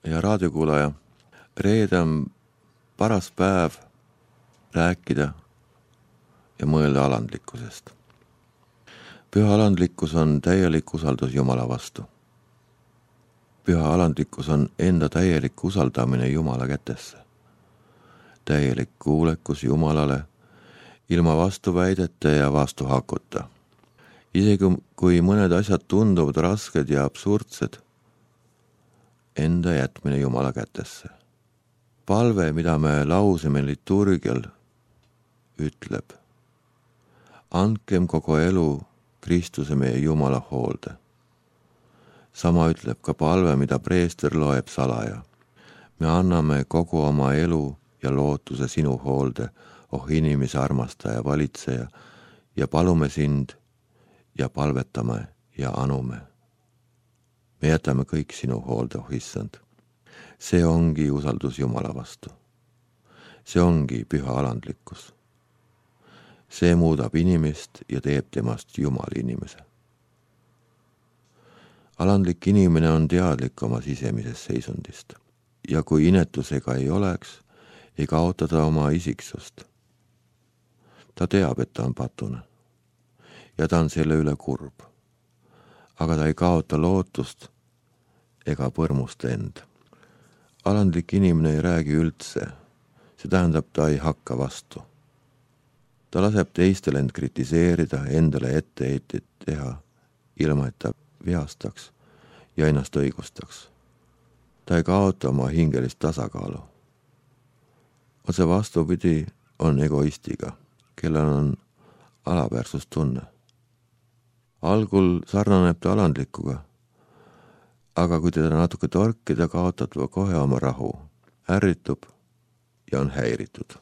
ja raadiokuulaja. Reede on paras päev rääkida ja mõelda alandlikkusest. Püha alandlikkus on täielik usaldus Jumala vastu. Püha alandlikkus on enda täielik usaldamine Jumala kätesse. Täielik kuulekus Jumalale ilma vastuväidete ja vastuhakuta. Isegi kui mõned asjad tunduvad rasked ja absurdsed, enda jätmine Jumala kätesse. Palve, mida me lausime liturgial, ütleb: andkem kogu elu Kristuse meie Jumala hoolde. Sama ütleb ka palve, mida preester loeb salaja. Me anname kogu oma elu ja lootuse sinu hoolde, oh inimese armastaja, valitseja, ja palume sind ja palvetame ja anume. Me jätame kõik sinu hoolde, oh issand. See ongi usaldus Jumala vastu. See ongi püha alandlikkus. See muudab inimest ja teeb temast Jumala inimese. Alandlik inimene on teadlik oma sisemisest seisundist ja kui inetusega ei oleks, ei kaota ta oma isiksust. Ta teab, et ta on patune ja ta on selle üle kurb, aga ta ei kaota lootust ega põrmusta end. Alandlik inimene ei räägi üldse, see tähendab, ta ei hakka vastu. Ta laseb teistel end kritiseerida, endale etteheited teha, ilma et ta vihastaks ja ennast õigustaks. Ta ei kaota oma hingelist tasakaalu. Otse vastupidi on egoistiga, kellel on alaväärsustunne. Algul sarnaneb ta alandlikuga, aga kui teda natuke torkida, kaotab ta kohe oma rahu, ärritub ja on häiritud.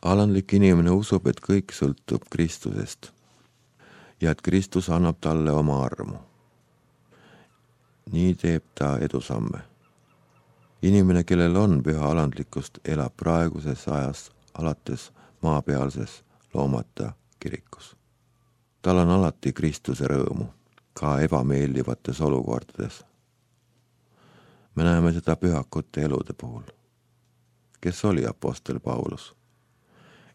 Alandlik inimene usub, et kõik sõltub Kristusest ja et Kristus annab talle oma armu. Nii teeb ta edusamme. Inimene, kellel on püha alandlikkust, elab praeguses ajas alates maapealses loomata kirikus. Tal on alati Kristuse rõõmu, ka ebameeldivates olukordades. Me näeme seda pühakute elude puhul. Kes oli apostel Paulus?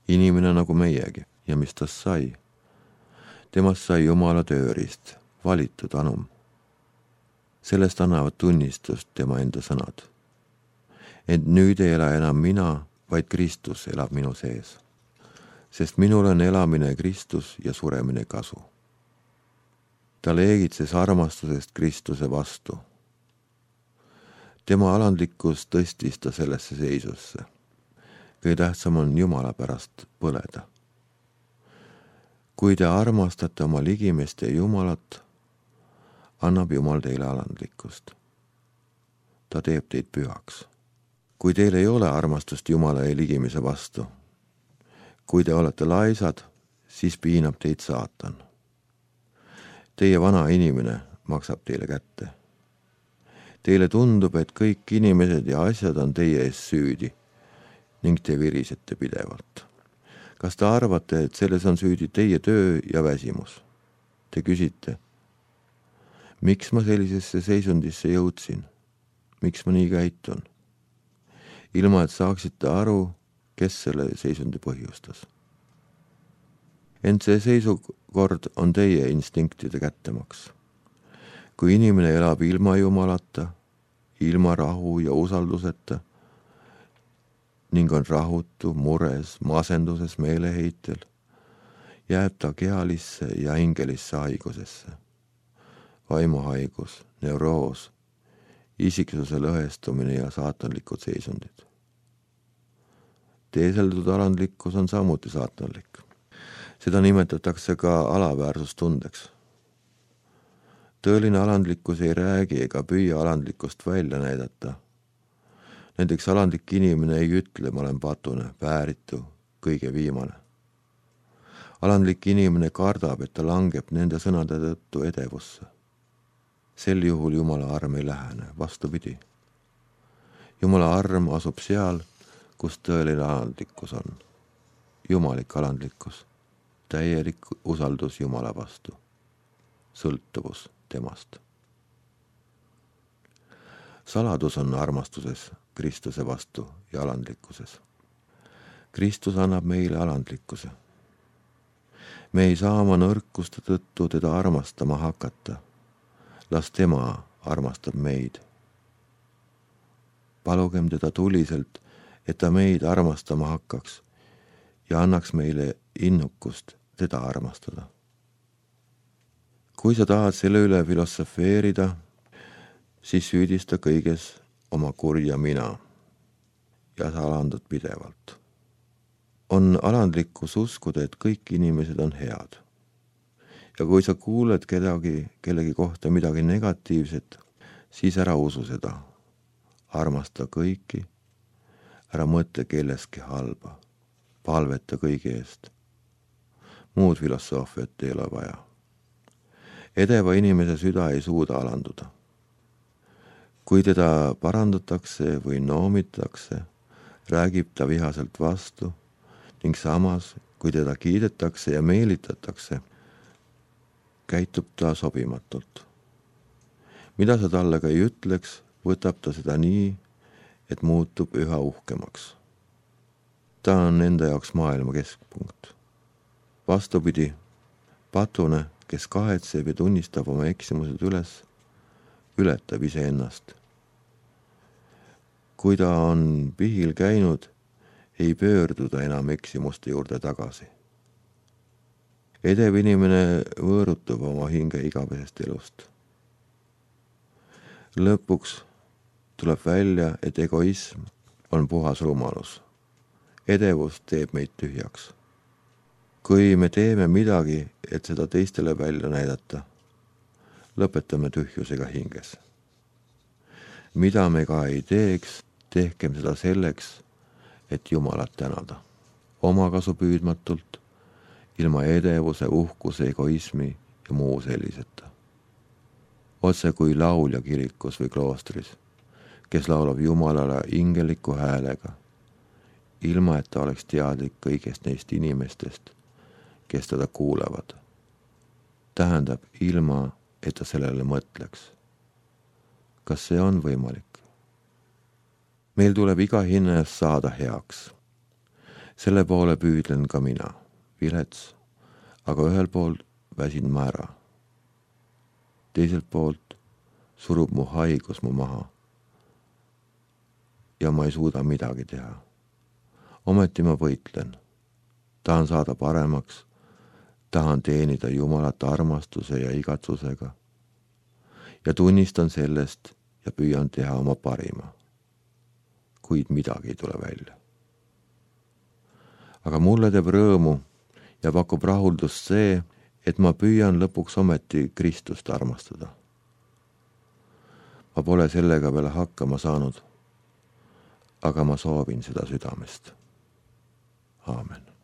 Inimene nagu meiegi, ja mis tast sai? Temast sai Jumala tööriist, valitud anum. Sellest annavad tunnistust tema enda sõnad. Ent nüüd ei ela enam mina, vaid Kristus elab minu sees. Sest minul on elamine Kristus ja suremine kasu. Ta leegitses armastusest Kristuse vastu. Tema alandlikkus tõstis ta sellesse seisusse. Kõige tähtsam on Jumala pärast põleda. Kui te armastate oma ligimest ja Jumalat, annab Jumal teile alandlikkust. Ta teeb teid pühaks. Kui teil ei ole armastust Jumala ja ligimise vastu, kui te olete laisad, siis piinab teid saatan. Teie vana inimene maksab teile kätte. Teile tundub, et kõik inimesed ja asjad on teie ees süüdi ning te virisete pidevalt. Kas te arvate, et selles on süüdi teie töö ja väsimus? Te küsite, miks ma sellisesse seisundisse jõudsin? Miks ma nii käitun? Ilma, et saaksite aru, kes selle seisundi põhjustas. Ent see seisukord on teie instinktide kättemaks. Kui inimene elab ilma Jumalata, ilma rahu ja usalduseta ning on rahutu, mures, masenduses, meeleheitel, jääb ta kehalisse ja hingelisse haigusesse. Vaimuhaigus, neuroos, isiksuse lõhestumine ja saatanlikud seisundid. Teeseldud alandlikkus on samuti saatanlik. Seda nimetatakse ka alaväärsustundeks. Tõeline alandlikkus ei räägi ega püüa alandlikkust välja näidata. Näiteks alandlik inimene ei ütle, ma olen patune, vääritu, kõige viimane. Alandlik inimene kardab, et ta langeb nende sõnade tõttu edevusse. Sel juhul Jumala arm ei lähene, vastupidi. Jumala arm asub seal, kus tõeline alandlikkus on. Jumalik alandlikkus, täielik usaldus Jumala vastu, sõltuvus temast. saladus on armastuses Kristuse vastu ja alandlikkuses. Kristus annab meile alandlikkuse. Me ei saa oma nõrkuste tõttu teda armastama hakata. Las tema armastab meid. Palugem teda tuliselt, et ta meid armastama hakkaks ja annaks meile innukust teda armastada. Kui sa tahad selle üle filosofeerida, siis süüdista kõiges oma kurja mina ja sa alandad pidevalt. On alandlikkus uskuda, et kõik inimesed on head. Ja kui sa kuuled kellegi kohta midagi negatiivset, siis ära usu seda. Armasta kõiki, ära mõtle kelleski halba, palveta kõigi eest. Muud filosoofiat ei ole vaja. Edeva inimese süda ei suuda alanduda. Kui teda parandatakse või noomitakse, räägib ta vihaselt vastu ning samas, kui teda kiidetakse ja meelitatakse, käitub ta sobimatult. Mida sa talle ka ei ütleks, võtab ta seda nii, et muutub üha uhkemaks. Ta on enda jaoks maailma keskpunkt. Vastupidi, patune, kes kahetseb ja tunnistab oma eksimused üles, ületab iseennast. Kui ta on pihil käinud, ei pöörduda enam eksimuste juurde tagasi. Edev inimene võõrutub oma hinge igavesest elust. Lõpuks tuleb välja, et egoism on puhas rumalus. Edevus teeb meid tühjaks. Kui me teeme midagi, et seda teistele välja näidata, lõpetame tühjusega hinges. Mida me ka ei teeks, tehkem seda selleks, et Jumalat tänada. Omakasu püüdmatult, ilma edevuse, uhkuse, egoismi ja muu selliseta. Otse kui laulja kirikus või kloostris, kes laulab Jumalale ingeliku häälega, ilma et ta oleks teadlik kõigest neist inimestest, kes teda kuulevad. Tähendab ilma, et ta sellele mõtleks. Kas see on võimalik? Meil tuleb iga hinna eest saada heaks. Selle poole püüdlen ka mina, vilets, aga ühel pool väsin ma ära. Teiselt poolt surub mu haigus mu maha ja ma ei suuda midagi teha. Ometi ma võitlen. Tahan saada paremaks, tahan teenida Jumalat armastuse ja igatsusega ja tunnistan sellest ja püüan teha oma parima. Kuid midagi ei tule välja. Aga mulle teeb rõõmu ja pakub rahuldust see, et ma püüan lõpuks ometi Kristust armastada. Ma pole sellega veel hakkama saanud, aga ma soovin seda südamest. Aamen.